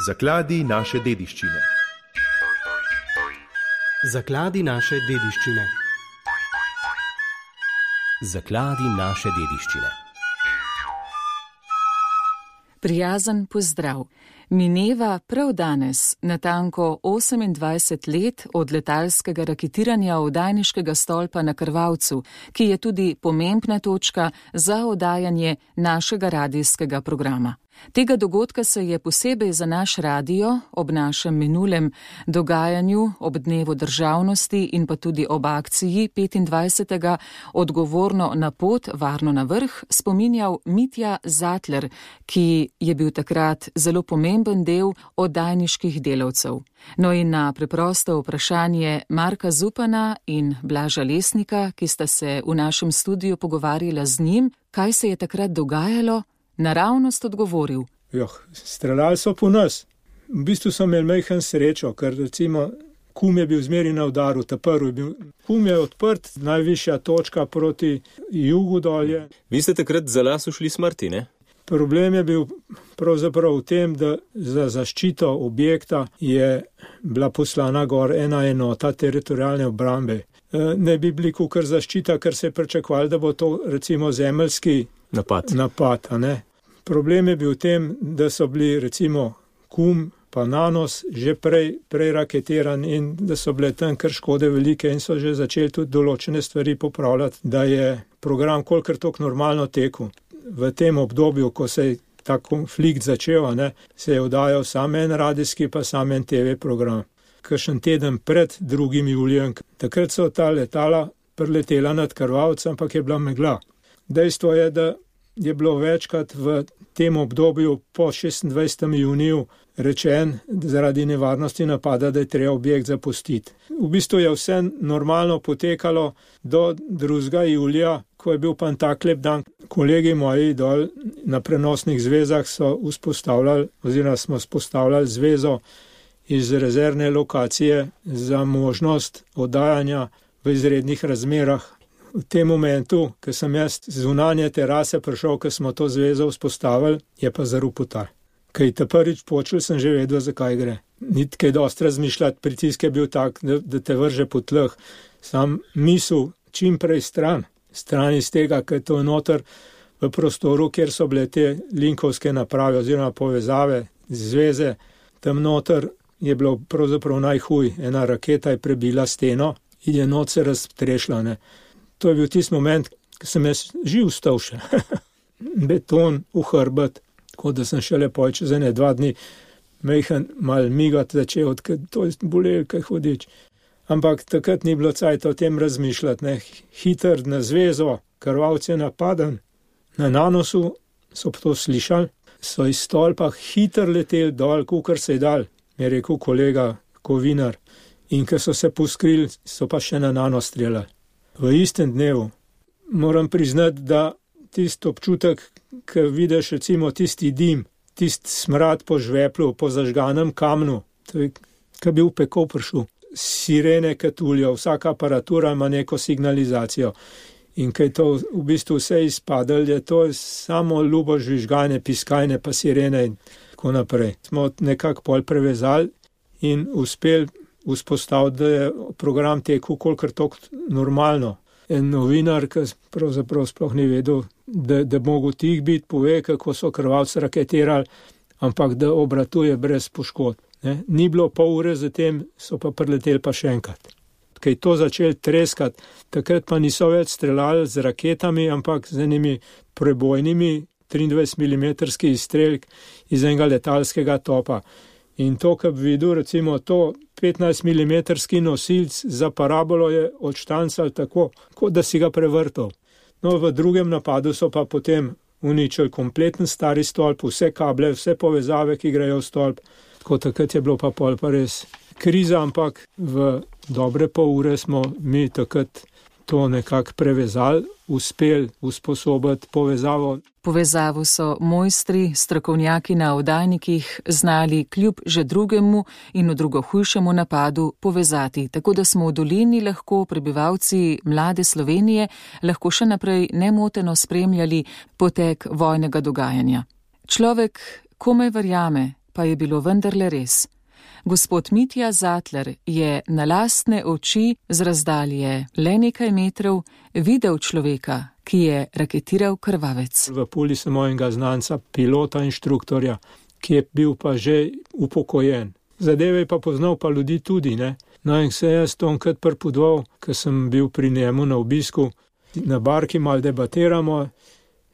Zakladi naše dediščine. Zakladi naše dediščine. Zakladi naše dediščine. Prijazen pozdrav. Mineva prav danes natanko 28 let od letalskega raketiranja oddajniškega stolpa na Krvavcu, ki je tudi pomembna točka za oddajanje našega radijskega programa. Tega dogodka se je posebej za naš radio ob našem minulem dogajanju, ob dnevu državnosti in pa tudi ob akciji 25. odgovorno na pot, varno na vrh, spominjal Mitja Zatler, ki je bil takrat zelo pomemben del oddajniških delavcev. No in na preprosto vprašanje Marka Zupana in Blaža Lesnika, ki sta se v našem studiu pogovarjala z njim, kaj se je takrat dogajalo, naravnost odgovoril. Streljali so po nas. V bistvu so imeli majhen srečo, ker recimo Kum je bil zmeri na udaru, Kum je odprt, najvišja točka proti jugu dolje. Vi ste takrat za las ušli smrti, ne? Problem je bil pravzaprav v tem, da za zaščito objekta je bila poslana gor ena enota teritorialne obrambe. Ne bi bili kukar zaščita, ker se je pričakovalo, da bo to recimo zemeljski napad, a ne. Problem je bil v tem, da so bili recimo Kum pa Nanos že prej raketiran in da so bile tam kar škode velike in so že začeli tudi določene stvari popravljati, da je program kolikor toliko normalno tekel. V tem obdobju, ko se je ta konflikt začel, ne, se je oddajal samo en radijski pa samo en TV program. Kakšen teden pred 2. julijem, takrat so ta letala preletela nad Krvavcem, ampak je bila megla. Dejstvo je, da je bilo večkrat v tem obdobju po 26. juniju rečen zaradi nevarnosti napada, da je treba objekt zapustiti. V bistvu je vse normalno potekalo do 2. julija, ko je bil pa tak lep dan. Kolegi moji dol na prenosnih zvezah so smo vzpostavljali zvezo iz rezervne lokacije za možnost oddajanja v izrednih razmerah. V tem momentu, ko sem jaz z zunanje terase prišel, ko smo to zvezo vzpostavili, je pa zarupotal. Kaj te prvič počul, sem že vedel, zakaj gre. Ni kaj dosti razmišljati, pritisk je bil tak, da te vrže po tleh. Sam misel čim prej stran iz tega, ker to je noter v prostoru, kjer so bile te linkovske naprave oziroma povezave, zveze. Tam noter je bilo pravzaprav najhuj. Ena raketa je prebila steno in je noč se raztrešila, ne. To je bil tisti moment, ko sem jaz živ stal še. Beton v hrbet, tako da sem šele čez 2 dni majhen mal migati začel, to je bolelo kaj hodič. Ampak takrat ni bilo cajta o tem razmišljati, ne. Hiter na zvezo, Krvavec je napaden. Na Nanosu so to slišali, so iz stolpa hiter leteli dol, kukar se je dal, mi je rekel kolega Kovinar. In ko so se poskrili, so pa še na Nanos streljali. V istem dnevu moram priznati, da tisti občutek, ko vidiš recimo tisti dim, tisti smrad po žveplu, po zažganem kamnu, to je, ko bi v peko prišel. Sirene katuljo, vsaka aparatura ima neko signalizacijo. In ko je to v bistvu vse izpadalo, je to samo ljubo žvižganje, piskajne pa sirene in tako naprej. Smo nekako pol prevezali in uspeli vzpostaviti, da je program tekel kolikor toliko normalno. En novinar, ki pravzaprav sploh ni vedel, da mogo tih biti, pove, kako so Krvavci raketirali, ampak da obratuje brez poškodb. Ni bilo pol ure zatem, so pa preleteli pa še enkrat. Ko je to začeli treskati, takrat pa niso več streljali z raketami, ampak z enimi prebojnimi 23 mm izstrelk iz enega letalskega topa. In to, ko bi videl, recimo to 15 mm nosilc za parabolo je odštancal tako, kot da si ga prevrtal. No, v drugem napadu so pa potem uničili kompleten stari stolp, vse kable, vse povezave, ki grejo v stolp. Tako takrat je bilo pa pol pa res kriza, ampak v dobre pol ure smo mi takrat to nekako prevezali, uspeli usposobiti povezavo. Povezavo so mojstri, strokovnjaki na oddajnikih znali kljub že drugemu in v drugo hujšemu napadu povezati, tako da smo v dolini lahko prebivalci mlade Slovenije lahko še naprej nemoteno spremljali potek vojnega dogajanja. Človek komaj verjame, pa je bilo vendarle res. Gospod Mitja Zatler je na lastne oči z razdalje le nekaj metrov videl človeka, ki je raketiral krvavec. V Puli sem mojega znanca, pilota, inštruktorja, ki je bil pa že upokojen. Zadeve je pa poznal pa ljudi tudi, ne. No in se jaz tonkrat pripodval, ker sem bil pri njemu na obisku, na barki malo debatiramo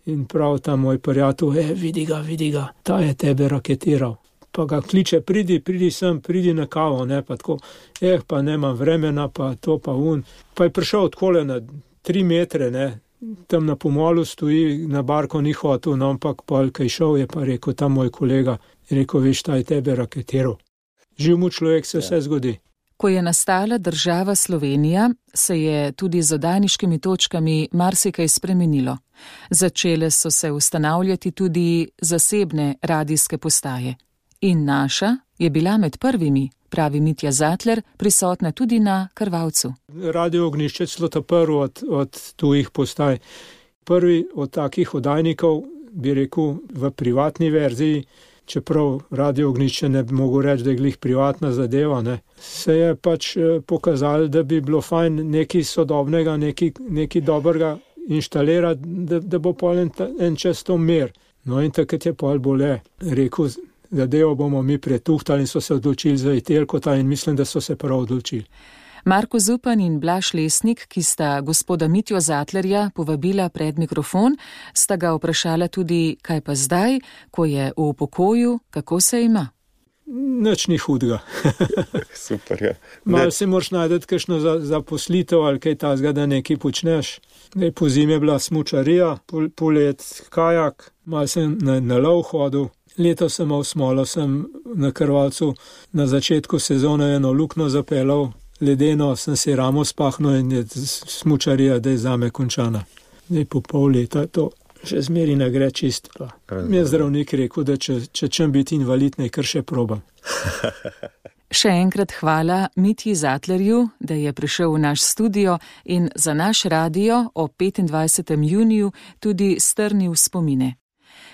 in prav ta moj prijatelj, vidi ga, ta je tebe raketiral. Pa ga kliče, pridi sem, pridi na kavo, ne, pa tako, pa nemam vremena, pa to pa un. Pa je prišel odkole na 3 metre, ne, tam na pomolu stoji, na barko ni hotel, no, ampak pol, kaj šel, je pa rekel, ta moj kolega, rekel, veš, ta je tebe raketiral. Živ mu človek, se vse zgodi. Ko je nastala država Slovenija, se je tudi z oddajniškimi točkami marsikaj spremenilo. Začele so se ustanavljati tudi zasebne radijske postaje. In naša je bila med prvimi, pravi Mitja Zatler, prisotna tudi na Krvavcu. Radio Ognjišče celo ta prvi od tujih postaj. Prvi od takih oddajnikov, bi rekel, v privatni verziji, čeprav Radio Ognjišče ne bi mogel reči, da je glih privatna zadeva, ne, se je pač pokazalo, da bi bilo fajn nekaj sodobnega, nekaj dobrega inštalirati, da bo pol en čas to mer. No in takrat je pol bole rekel, zadevo bomo mi pretuhtali in so se odločili za Itelkota in mislim, da so se prav odločili. Marko Zupan in Blaž Lesnik, ki sta gospoda Mitjo Zatlerja povabila pred mikrofon, sta ga vprašala tudi, kaj pa zdaj, ko je v pokoju, kako se ima. Nič ni hudega. Super, ja. Malo si moraš najdeti kakšno zaposlitev ali kaj tazga, da nekaj počneš. Po zimi je bila smučarija, polet kajak, malo sem na lov hodil. Letos sem imel smolo, sem na Krvavcu na začetku sezone eno luknjo zapeljal, ledeno, sem si ramo spahnil in je smučarija, da je zame končana. Zdaj po pol leta to še zmeri ne gre čist. Mi je zdravnik rekel, da če čem biti invalid, naj kar še probam. Še enkrat hvala Mitji Zatlerju, da je prišel v naš studio in za naš radio o 25. juniju tudi strnil spomine.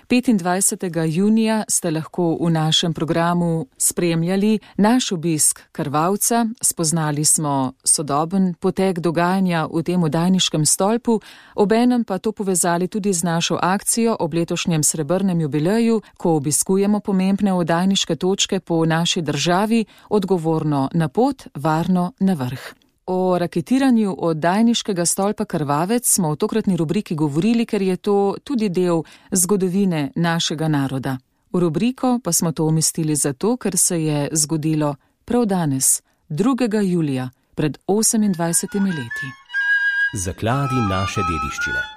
25. junija ste lahko v našem programu spremljali naš obisk Krvavca, spoznali smo sodoben potek dogajanja v tem oddajniškem stolpu, obenem pa to povezali tudi z našo akcijo ob letošnjem srebrnem jubileju, ko obiskujemo pomembne oddajniške točke po naši državi, odgovorno na pot, varno na vrh. O raketiranju oddajniškega stolpa Krvavec smo v tokratni rubriki govorili, ker je to tudi del zgodovine našega naroda. V rubriko pa smo to umestili zato, ker se je zgodilo prav danes, 2. julija, pred 28 leti. Zakladi naše dediščine.